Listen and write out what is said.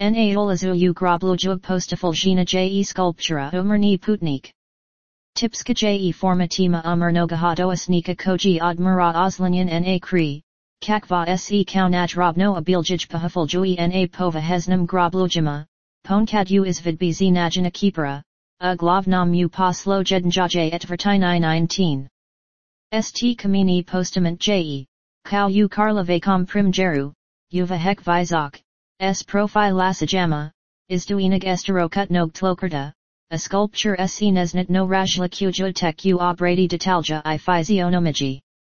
Na olazu u grobluju postafulgina je sculptura umerni putnik. Tipska je formatima umernogahadosnika koji admira oslanyan na kri, kakva se kaunaj robno abiljij pahafulgui na povahesnam groblujima, ponkad u izvidbizi najina kipera, glavnam u poslo jednjaje etvertini 19. St kamini postament je, kau u karlavacom primjeru, uva hek vizok, s profilasajama, izduinig esterokutnog tlokerta, a sculpture se nesnit no rajla kujutek u obrady detalja I fizionomiji.